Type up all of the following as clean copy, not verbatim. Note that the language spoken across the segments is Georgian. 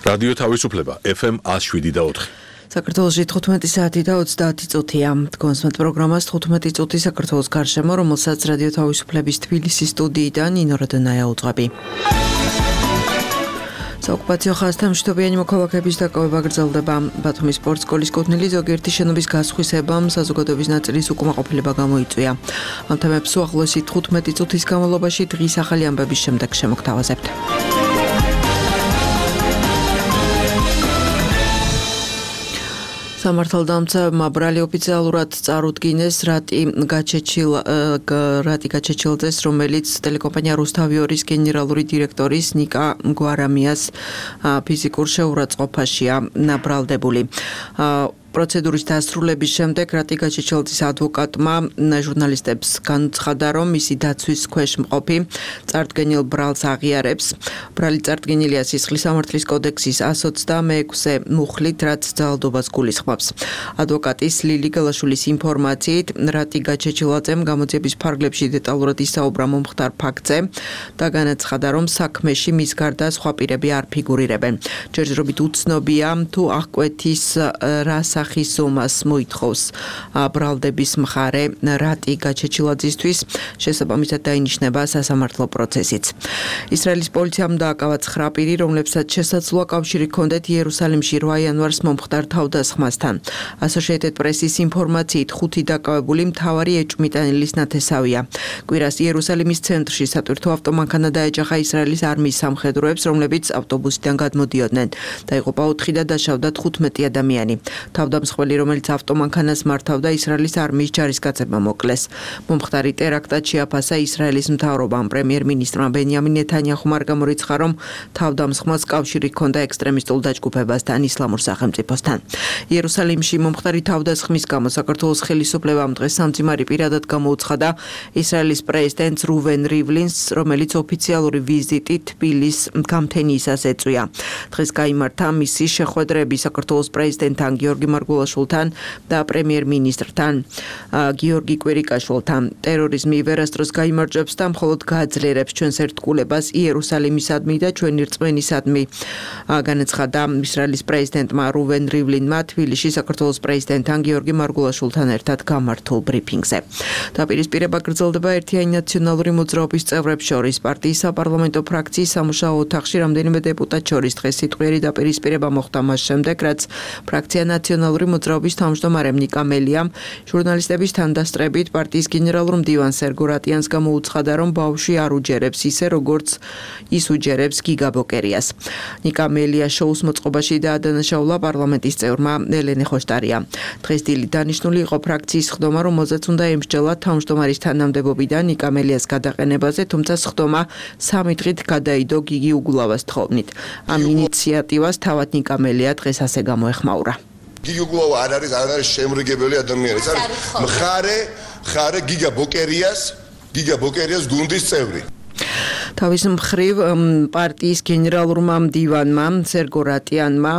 რადიო თავისუფლება FM 107.4. საქართველოში 15 საათი და 30 წუთია. თქვენს პროგრამას 15 წუთი საქართველოს გარშემო, რომელსაც რადიო თავისუფლების თბილისის სტუდიიდან ნინო როდონაია უძღვები. საოკუპაციო ხაზთან მშვიდობიანი მოქალაქეების დაკავება გრძელდება. ბათუმის სპორტ სკოლის კუთვნილი ზოგიერთი შენობის გასხვისებამ საზოგადოების ნაწილის უკმაყოფილება გამოიწვია. ამ თემებს უახლოესი 15 წუთის განმავლობაში დღის ახალი ამბების შემდეგ შემოგთავაზებთ. სამართალდამცავმა ბრალი ოფიციალურად წარუდგინეს რატი გაჩეჩილაძეს, რომელიც ტელეკომპანია რუსთავიორის გენერალური დირექტორის ნიკა გვარამიას ფიზიკურ შეურაცხყოფაშია ბრალდებული. პროცედურის დასრულების შემდეგ რატი გაჩეჩილაძის ადვოკატმა ჟურნალისტებს განუცხადა, რომ მისი დაცვის ქვეშ მყოფი წარდგენილ ბრალს აღიარებს. ბრალი წარდგენილია სისხლის სამართლის კოდექსის 126 მუხლით, რაც ძალადობას გულისხმობს. ადვოკატის ლილი გელაშვილის ინფორმაციით, რატი გაჩეჩილაძემ გამოძიების ფარგლებში დეტალურად ისაუბრა მომხდარ ფაქტზე და განაცხადა, რომ საქმეში მის გარდა სხვა პირები არ ფიგურირებენ. ჯერჯერობით უცნობია, თუ აღკვეთის რა სახის სუმას მოითხოვს ბრალდების მხარე რატი გაჩეჩილაძისთვის, შესაბამისად დაინიშნება სასამართლო პროცესიც. ისრაელის პოლიციამ დააკავა 9 პირი, რომლებსაც შესაძლოა კავშირი ჰქონდეთ იერუსალიმში 8 იანვარს მომხდარ თავდასხმასთან. Associated Press-ის ინფორმაციით 5 დაკავებული მთავარი ეჭვმიტანილის ნათესავია. კვირას იერუსალიმის ცენტრში სატვირთო ავტომანქანა დაეჯახა ისრაელის არმიის სამხედროებს, რომლებიც ავტობუსიდან გადმოდიოდნენ. დაიღუპა 4 და დაშავდა 15 ადამიანი. თავდამსხმელი, რომელიც ავტომანქანას მართავდა, ისრაელის არმიის ჯარისკაცებმა მოკლეს. მომხდარი ტერაქტად შეაფასა ისრაელის მთავრობამ. პრემიერ-მინისტრმა ბენიამინ ნეთანიაჰუმ არ გამორიცხა, რომ თავდამსხმელს კავშირი ჰქონდა ექსტრემისტულ დაჯგუფებასთან, ისლამურ სახელმწიფოსთან. იერუსალიმში მომხდარი თავდასხმის გამო საქართველოს ხელისუფლებამ დღეს სამძიმარი პირადად გამოუცხადა ისრაელის პრეზიდენტს რუვენ რივლინს, რომელიც ოფიციალური ვიზიტით თბილის გამთენიისას ეწვია. დღეს გაიმართა მისი შეხვედრები საქართველოს პრეზიდენტთან გიორგი მარგულაშვილთან და პრემიერ-მინისტრთან გიორგი კვირიკაშვილთან. ტერორიზმი ვერასდროს გაიმარჯვებს და მხოლოდ გააძლიერებს ჩვენს ერთგულებას იერუსალიმისადმი და ჩვენი რწმენისადმი, განაცხადა ისრაელის პრეზიდენტმა რუვენ რივლინმა თბილისში საქართველოს პრეზიდენტთან გიორგი მარგულაშვილთან ერთად გამართულ ბრიფინგზე. დაპირისპირება გრძელდება ერთიანი ნაციონალური მოძრაობის წევრებს შორის. პარტიის საპარლამენტო ფრაქციის სამუშაო ოთახში რამდენიმე დეპუტატ შორის დღეს სიტყვიერი დაპირისპირება მოხდა მას შემდეგ, რაც ფრაქცია ნაციონალური მოძრაობის თავმჯდომარემ ნიკა მელიამ ჟურნალისტების თანდასწრებით პარტიის გენერალურ მდივან სერგო რატიანს გამოუცხადა, რომ ბავშვი არ უჯერებს ისე, როგორც ის უჯერებს გიგა ბოკერიას. ნიკა მელია შოუს მოწყობაში დაადანაშაულა პარლამენტის წევრმა ელენე ხოშტარია. დღეს დილით დანიშნული იყო ფრაქციის სხდომა, რომელზეც უნდა ემსჯელა თავმჯდომარის თანამდებობიდან ნიკა მელიას გადაყენებაზე, თუმცა სხდომა 3 დღით გადაიდო გიგი უგულავას თხოვნით. ამ ინიციატივას თავად ნიკა მელია დღეს ასე გამოეხმაურა. გიგი უგულავა არ არის შემრიგებელი ადამიანი, ეს არის მხარე გიგა ბოკერიას გუნდის წევრი. თავის მხრივ პარტიის გენერალურმა მდივანმა სერგო რატიანმა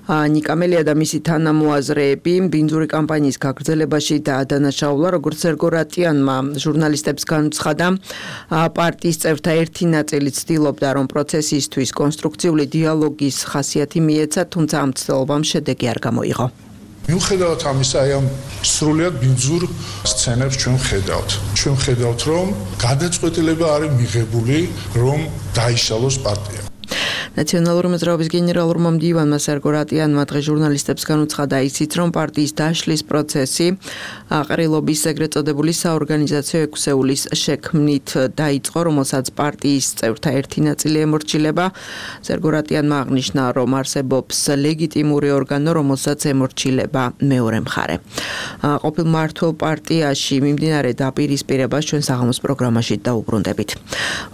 ნიკა მელია და მისი თანამოაზრეები ბინძური კამპანიის გაგრძელებაში დაადანაშაულა, როგორც სერგო რატიანმა ჟურნალისტებს განუცხადა, პარტიის წევრთა ერთი ნაწილი ცდილობდა, რომ პროცესისთვის კონსტრუქციული დიალოგის ხასიათი მიეცა, თუმცა ამ ცდილობამ შედეგი არ გამოიღო. მიუხედავად ამისა, ამ სრულიად ბინძურ სცენებს ჩვენ ხედავთ, რომ გადაწყვეტილება არის მიღებული, რომ დაიშალოს პარტია. ნაციონალური მოძრაობის გენერალურმა მდივანმა სერგო რატიანმა დღეს ჟურნალისტებს განუცხადა ისიც, რომ პარტიის დაშლის პროცესი ყრილობის ეგრეთ წოდებული საორგანიზაციო ექვსეულის შექმნით დაიწყო, რომელსაც პარტიის წევრთა ერთი ნაწილი ემორჩილება. სერგო რატიანმა აღნიშნა, რომ არსებობს ლეგიტიმური ორგანო, რომელსაც ემორჩილება მეორე მხარე. ყოფილ მმართველ პარტიაში მიმდინარე დაპირისპირებას ჩვენ საღამოს პროგრამაში დაუბრუნდებით.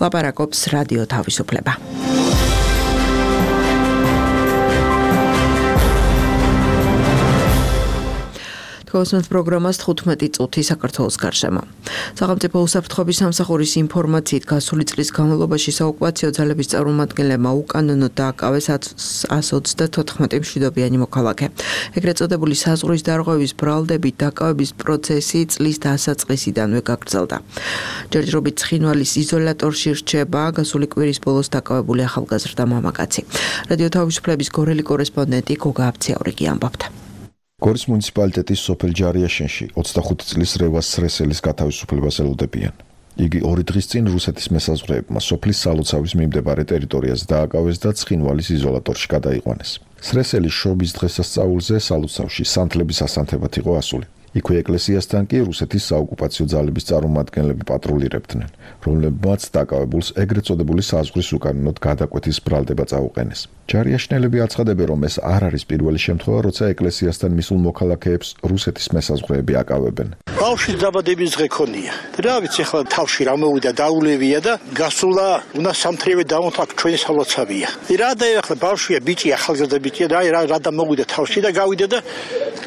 ლაპარაკობს რადიო თავისუფლება. Თქვენს პროგრამას 15 წუთი საქართველოს გარშემო. სახელმწიფო უსაფრთხოების სამსახურის ინფორმაციით გასული წლის განმავლობაში საოკუპაციო ძალების წარმომადგენლებმა უკანონოდ დააკავეს 134 მშვიდობიანი მოქალაქე. ეგრეთ წოდებული საზღვრის დარღვევის ბრალდებით დაკავების პროცესი წლის დასაწყისიდანვე გაგრძელდა. ჯერჯერობით ცხინვალის იზოლატორში რჩება გასული კვირის ბოლოს დაკავებული ახალგაზრდა მამაკაცი. რადიო თავისუფლების გორელი კორესპონდენტი გოგა აბციაურიგი ამბობდა. გორის მუნიციპალიტეტის სოფელ ჯარიაშენში 25 წლის რევას სრესელის გათავისუფლებას ელოდებიან. იგი 2 დღის წინ რუსეთის მესაზღვრეებმა სოფლის სალოცავის მიმდებარე ტერიტორიაზე დააკავეს და ცხინვალის იზოლატორში გადაიყვანეს. სრესელის შობის დღესასწაულზე სალოცავში სანთლების ასანთებად იყო ასული. იქვე ეკლესიასთან კი რუსეთის საოკუპაციო ძალების წარმომადგენლები პატრულირებდნენ, რომლებმაც დაკავებულს ეგრეთ წოდებული საზღვრის უკანონოდ გადაკვეთის ბრალდება წაუყენეს. ჯარიაშნელები აცხადებენ, რომ ეს არ არის პირველი შემთხვევა, როცა ეკლესიასთან მისულ მოქალაქეებს რუსეთის მესაზღვრეები აკავებენ. ბავშვის დაბადების დღე ქონია. რა ვიცი, ახლა თავში რა მოვიდა, დაულევია და გასულა, უნდა სამთრივე დავონთქ ჩვენი სალოცავია. რა დაეხლა ბავშვია, ბიჭი, ახალგაზრდა ბიჭია, რა დამოვიდა თავში და გავიდა და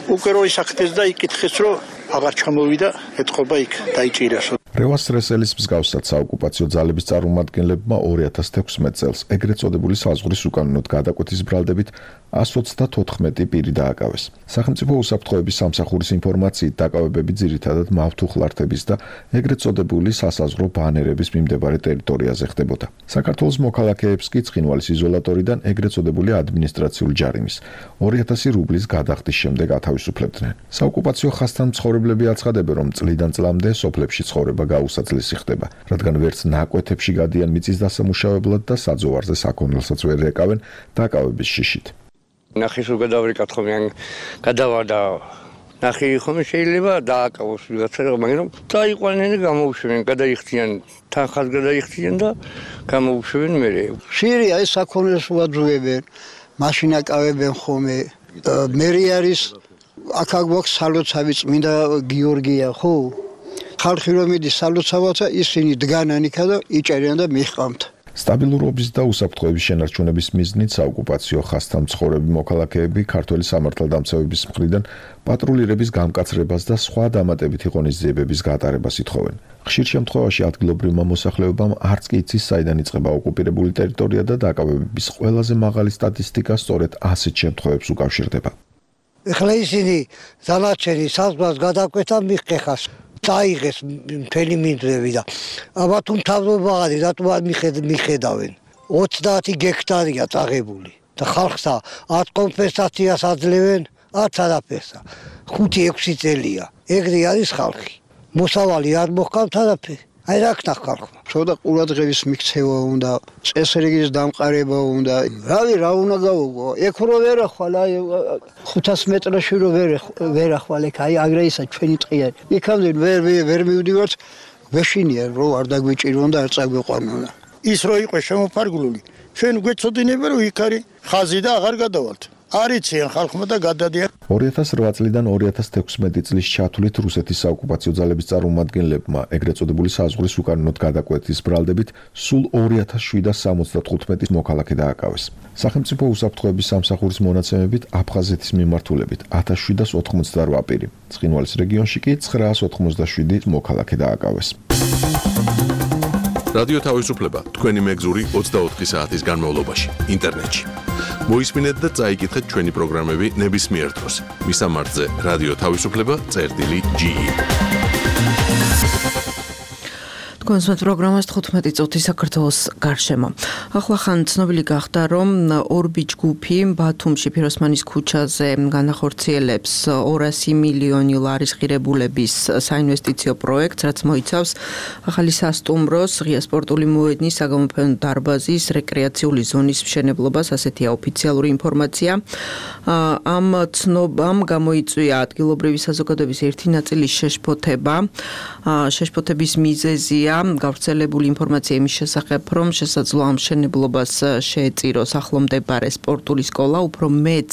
უკვე რო ისახდეს და იკითხეს, რომ აღარ ჩამოვიდა, ეთყობა იქ დაიჭირას. რევას სრესელის მსგავსად საოკუპაციო ძალების წარმომადგენლებმა 2016 წელს ეგრეთ წოდებული საზღვრის უკანონოდ გადაკვეთის ბრალდებით 124 პირი დააკავეს. სახელმწიფო უსაფრთხოების სამსახურის ინფორმაციით დაკავებები ძირითადად მავთუხლართების და ეგრეთ წოდებული სასაზღვრო ბანერების მიმდებარე ტერიტორიაზე ხდებოდა. საქართველოს მოქალაქეებს კი ცხინვალის იზოლატორიდან ეგრეთ წოდებული ადმინისტრაციული ჯარიმის 2000 რუბლის გადახდის შემდეგ ათავისუფლებდნენ. საოკუპაციო ხაზთან მცხოვრებლები აცხადებენ, რომ წლიდან წლამდე სოფლებში ცხოვრება გაუსაძლისი ხდება, რადგან ვერც ნაკვეთებში გადიან მიწის დასამუშავებლად და საძოვარზე საქონელსაც ვერ ეკავენ დაკავების შიშით. ნახის რო გადავრიკათ ხომ ან გადავარდა ნახი ხომ შეიძლება დააკავოს ვიღაცა მაგრამ დაიყვანენ და გამოუშვენ გადაიხდიან თანხას გადაიხდიან და გამოუშვენ მერე ხშირია ეს საქონელს უაძუებენ მაშინ აკავებენ ხომე მერი არის აქ გვაქვს სალოცავი წმინდა გიორგია ხო ხალხი რომ მიდის სალოცავათა ისინი დგანან იქა და იჭერიან და მიჰყავთ სტაბილურობის და უსაფრთხოების შენარჩუნების მიზნით საოკუპაციო ხაზთან მცხოვრები მოქალაქეები ქართველი სამართალდამცავების მხრიდან პატრულირების გამკაცრებას და სხვა დამატებითი ღონისძიებების გატარებას ითხოვენ. ხშირ შემთხვევაში ადგილობრივმა მოსახლეობამ არც კი იცის საიდან იწყება ოკუპირებული ტერიტორია და დაკავებების ყველაზე მაღალი სტატისტიკა სწორედ ასეთ შემთხვევებს უკავშირდება. ეხლა ისინი დანარჩენი საზღვარს გადაკვეთა მიხეხას დაიღეს მთელი მინდვრები და აბა თუ თავდობაღადი რატომ არ მიხედავენ 30 გექტარია წაღებული და ხალხსა 10 კომპენსაციას აძლევენ 10 არაფერსა 5-6 წელია ეგრე არის ხალხი მოსავალი არ მოხდათ არაფერი აი რა ქნა ხალხმა ცოტა ყურადღების მიქცევა უნდა წესრიგის დამყარება უნდა რავი რა უნდა გავუგო ეგ რო ვერ ახვალ აი 500 მეტრში რო ვერ ახვალ ეგ აი აგრეისა ჩვენი ტყია იქამდე ვერ მივდივართ ვეშინია რო არ დაგვიჭირონ და არ წაგვეყვანონ ის რო იყო შემოფარგლული ჩვენ გვეწოდინება რომ იქ არის ხაზი და აღარ გადავალთ არიციან ხალხმა და გადადიან 2008 წლიდან 2016 წლის ჩათვლით რუსეთის საოკუპაციო ძალების წარმომადგენლებმა ეგრეთ წოდებული საზღვრის უკანონოდ გადაკვეთის ბრალდებით სულ 2775 მოქალაქე დააკავეს. სახელმწიფო უსაფრთხოების სამსახურის მონაცემებით აფხაზეთის მიმართულებით 1788 პირი, ცხინვალის რეგიონში კი 987 მოქალაქე დააკავეს. რადიო თავისუფლება თქვენი მეგზური 24 საათის განმავლობაში ინტერნეტში. მოისმინეთ და წაიკითხეთ ჩვენი პროგრამები ნებისმიერ დროს. მისამართზე რადიო თავისუფლება.ge კონსერტ პროგრამას 15 წუთი საქართველოს გარშემო. ახლა ხან ცნობილი გახდა, რომ ორბი ჯგუფი ბათუმში ფიროსმანის ქუჩაზე განახორციელებს 200 მილიონი ლარის ღირებულების საინვესტიციო პროექტს, რაც მოიცავს ახალი სასტუმროს, ღია სპორტული მოედნის, საგამოფენო დარბაზის, რეკრეაციული ზონის მშენებლობას, ასეთია ოფიციალური ინფორმაცია. ამ ცნობამ გამოიწვია ადგილობრივი საზოგადოების ერთი ნაწილის შეშფოთება. შეშფოთების მიზეზია გავრცელებული ინფორმაცია იმის შესახებ, რომ შესაძლოა ამ მშენებლობას შეეწიროს ახლომდებარე სპორტული სკოლა, უფრო მეც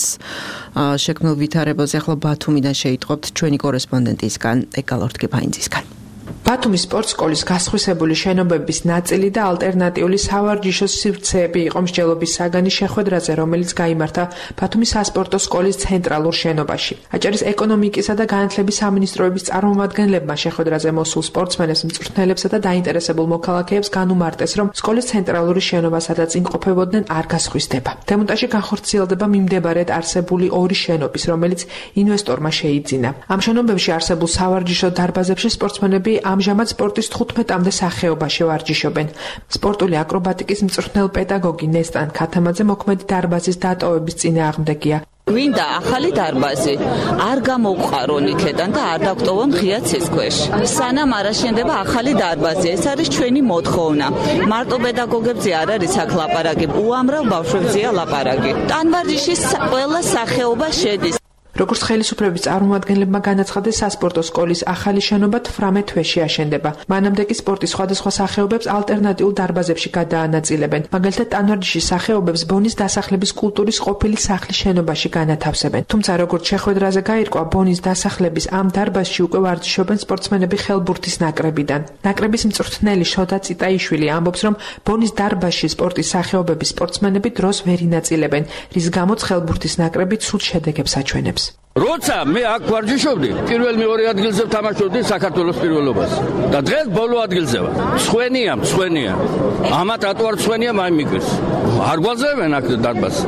შექმნილ ვითარებაზე ახლა ბათუმიდან შეიტყობთ ჩვენი კორესპონდენტისგან ეკალორთ გეფაინძისგან. ბათუმის სპორტსკოლის გასხვისებული შენობების ნაწილი და ალტერნატიული სავარჯიშო სივრცეები იყო მსჯელობის საგანი შეხვედრაზე, რომელიც გაიმართა ბათუმის სასპორტო სკოლის ცენტრალურ შენობაში. აჭარის ეკონომიკისა და განათლების სამინისტროების წარმომადგენლებმა შეხვედრაზე მოსულ სპორტსმენებს, მწვრთნელებსა და დაინტერესებულ მოქალაქეებს განუმარტეს, რომ სკოლის ცენტრალური შენობა, სადაც იმყოფებოდნენ, არ გასხვისდება. დემონტაჟი განხორციელდება მიმდებარედ არსებული ორი შენობის, რომელიც ინვესტორმა შეიძინა. ამ შენობებში არსებულ სავარჯიშო დარბაზებში სპორტსმენები ამჟამად სპორტის 15-მდე სახეობაში ვარჯიშობენ. სპორტული აკრობატიკის მწვრთნელ პედაგოგი ნესტან ქათამაძე მოქმედი დარბაზის დატოვების წინააღმდეგია. გვინდა ახალი დარბაზი, არ გამოვყარონ იქიდან და არ დაგტოვონ ღია ცის ქვეშ. სანამ არ აშენდება ახალი დარბაზი, ეს არის ჩვენი მოთხოვნა. მარტო პედაგოგებზე არ არის აქ ლაპარაკი, უამრავ ბავშვებზეა ლაპარაკი. ტანვარჯიშის ყველა სახეობა შედის. როგორც ხელისუფლების წარმომადგენლებმა განაცხადეს, სასპორტო სკოლის ახალი შენობა 18 თვეში აშენდება. მანამდე კი სპორტის სხვადასხვა სახეობებს ალტერნატიულ დარბაზებში გადაანაწილებენ. მაგალითად, ტანვარჯიშის სახეობებს ბონის დასახლების კულტურის ყოფილი სახლის შენობაში განათავსებენ. თუმცა, როგორც შეხვედრაზე გაირკვა, ბონის დასახლების ამ დარბაზში უკვე ვარჯიშობენ სპორტსმენები ხელბურთის ნაკრებიდან. ნაკრების მწვრთნელი შოდა წიტაიშვილი ამბობს, რომ ბონის დარბაზში სპორტის სახეობების სპორტსმენები დროს ვერ ინაწილებენ, რის გამოც ხელბურთის ნაკრები ცუდ შედეგებს აჩვენებს. როცა მე აქ ვარჯიშობდი, პირველ მეორე ადგილზე ვთამაშობდი საქართველოს პირველობას და დღეს ბოლო ადგილზე ვარ. მცვენია. ამათ რატო არ მცვენია მაიმიკეს. არ გვაძლევენ აქ დარბაზს.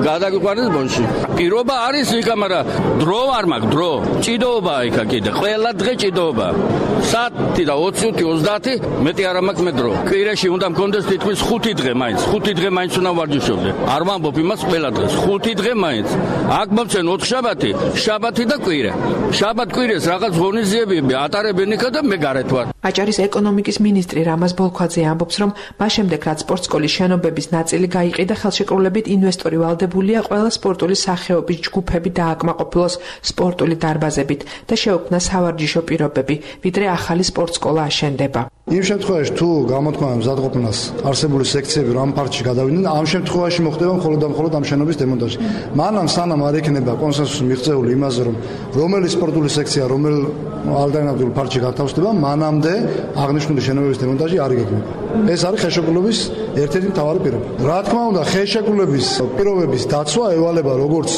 გადაგვიყვანეს ბონში. პირობა არის იქა, მაგრამ დრო არ მაქვს, დრო. ჭიდაობაა იქა კიდე. ყველა დღე ჭიდაობაა. საათი და 20-30 მეტი არ მაქვს მე დრო. კვირაში უნდა მქონდეს თითქმის 5 დღე მაინც. 5 დღე მაინც უნდა ვარჯიშობდე. არ ვამბობ იმას ყველა დღეს. 5 დღე მაინც. აქ მომცენ 4 შაბათი და კვირა. შაბათ-კვირას რაღაც ღონისძიებები ატარებენ იქა და მე გარეთ ვარ. აჭარის ეკონომიკის მინისტრი რამაზ ბოლქვაძე ამბობს, რომ მას შემდეგ რაც სპორტსკოლის შენობების ნაწილი გაიყიდა, ხელშეკრულებით ინვესტორი ვალდებულია ყველა სპორტული სახეობის ჯგუფები დააკმაყოფილოს სპორტული დარბაზებით და შეუქმნა სავარჯიშო პირობები, ვიდრე ახალი სპორტსკოლა აშენდება. იმ შემთხვევაში თუ გამოთქმა მზადყოფნას არსებული სექციები რომ პარტში გადავიდნენ, ამ შემთხვევაში მოხდება მხოლოდ და მხოლოდ ამ შენობის დემონტაჟი. მანამ სანამ არ იქნება კონსენსუსი მიღწეული იმაზე, რომ რომელი სპორტული სექცია რომელ ალტერნატიულ პარტში გათავსდება, მანამდე აღნიშნული შენობების დემონტაჟი არ იგეგმება. ეს არის ხელშეკრულების ერთ-ერთი მთავარი პირობა. რა თქმა უნდა, ხელშეკრულების პირობების დაცვა ევალება როგორც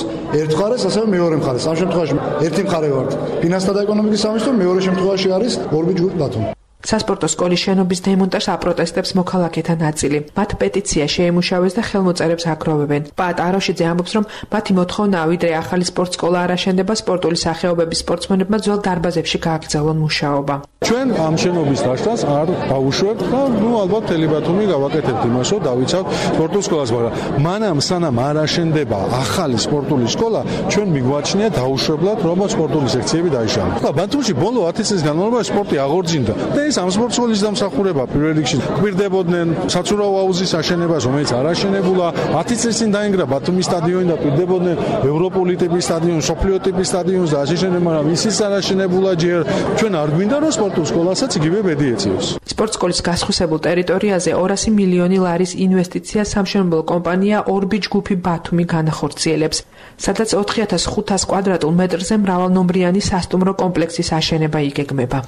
ერთ მხარეს, ასევე მეორე მხარეს. ამ შემთხვევაში ერთი მხარე ვართ ფინანსთა და ეკონომიკის სამინისტრო, მეორე შემთხვევაში არის ორბი ჯგუფი ბათუმი. სასპორტო სკოლის შენობის დემონტაჟს აპროტესტებს მოქალაქეთა ნაწილი. მათ პეტიცია შეემუშავეს და ხელმოწერებს აგროვებენ. პატ აროშიძე ამბობს, რომ მათი მოთხოვნაა, ვიდრე ახალი სპორტსკოლა არ აშენდება, სპორტული სახეობების სპორტსმენებმა ძველ დარბაზებში გააგრძელონ მუშაობა. ჩვენ ამ შენობის დაშლას არ დავუშვებთ და ალბათ მთელი ბათუმი გავაკეთებთ იმას, რომ დავიცავთ სპორტულ სკოლას, მაგრამ მანამ სანამ არ აშენდება ახალი სპორტული სკოლა, ჩვენ მიგვაჩნია დაუშვებლად, რომ სპორტული სექციები დაიშალოს. ბათუმში ბოლო 10 წლის განმავლობაში სპორტი აღორძინდა და ამ სპორტსკოლის დამსახურება პირველ რიგში გვირდებოდნენ საცურაო აუზის აშენებას, რომელიც არ აშენებულა. 10 წლის წინ დაინგრა ბათუმის სტადიონი და გვირდებოდნენ ევროპული ტიპის სტადიონს, სოფლიო ტიპის სტადიონს და აშენებდნენ, მაგრამ ისიც არ აშენებულა ჯერ. ჩვენ არ გვინდა რომ სპორტულ სკოლასაც იგივე ბედი ეწიოს. სპორტსკოლის გასხვისებულ ტერიტორიაზე 200 მილიონი ლარის ინვესტიცია სამშენებლო კომპანია ორბი ჯგუფი ბათუმი განახორციელებს, სადაც 4500 კვადრატულ მეტრზე მრავალნომრიანი სასტუმრო კომპლექსის აშენება იგეგმება.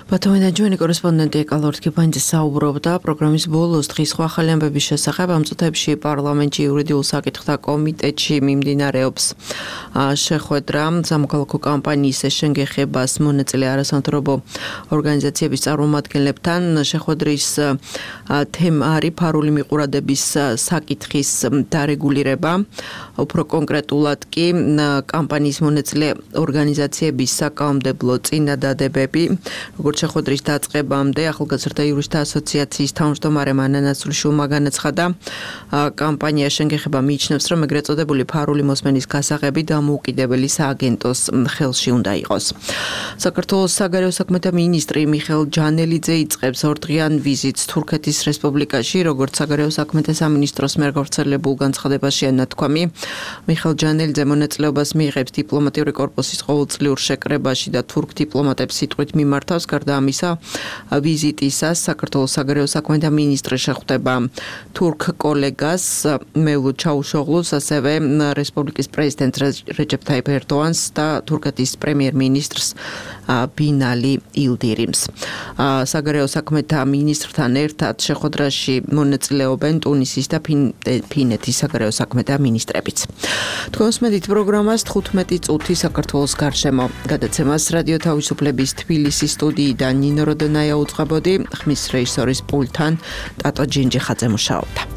ბათუმიდან ჩვენი კორესპონდენტი ეკალორთქიფანიძე საუბრობდა პროგრამის ბოლოს დღის სხვა ახალი ამბების შესახებ. ამ წუთებში პარლამენტში იურიდიულ საკითხთა კომიტეტში მიმდინარეობს შეხვედრა სამოქალაქო კამპანიის შენგეხებას მონაწილე არასამთავრობო ორგანიზაციების წარმომადგენლებთან. შეხვედრის თემა არის ფარული მიყურადების საკითხის დარეგულირება. უფრო კონკრეტულად კი კამპანიის მონაწილე ორგანიზაციების საკანონმდებლო წინადადებები. როგორც შეხვედრის დაწყებამდე ახალგაზრდა იურისტთა ასოციაციის თავმჯდომარე მანა ნაცვლიშვილმა განაცხადა, კამპანია შენგეხება მიიჩნევს, რომ ეგრეთ წოდებული ფარული მოსმენის გასაღები დამოუკიდებელი სააგენტოს ხელში უნდა იყოს. საქართველოს საგარეო საქმეთა მინისტრი მიხეილ ჯანელიძე იწყებს ორდღიან ვიზიტს თურქეთის რესპუბლიკაში, როგორც საგარეო საქმეთა სამინისტროს მიერ გავრცელებულ განცხადებაშია ნათქვამი. მიხეილ ჯანელიძე მონაწილეობას მიიღებს დიპლომატიური კორპუსის ყოველწლიურ შეკრებაში და თურქ დიპლომატებს სიტყვით მიმართავს. გარდა გარდა ამისა, ვიზიტისას საქართველოს საგარეო საქმეთა მინისტრი შეხვდება თურქ კოლეგას მევლუდ ჩაუშოღლუს, ასევე რესპუბლიკის პრეზიდენტ რეჯეპ თაიფ ერდოანს და თურქეთის პრემიერ-მინისტრს ბინალი ილდირიმს. საგარეო საქმეთა მინისტრთან ერთად შეხვედრაში მონაწილეობენ ტუნისის და ფინეთის საგარეო საქმეთა მინისტრებიც. თქვენს მედით პროგრამას 15 წუთი საქართველოს გარშემო. გადაცემას რადიო თავისუფლების თბილისის სტუდიიდან ნინო როდონაია უძღვებოდი, ხმის რეჟისორის პულტთან ტატო ჯინჯიხაძე მუშაობდა.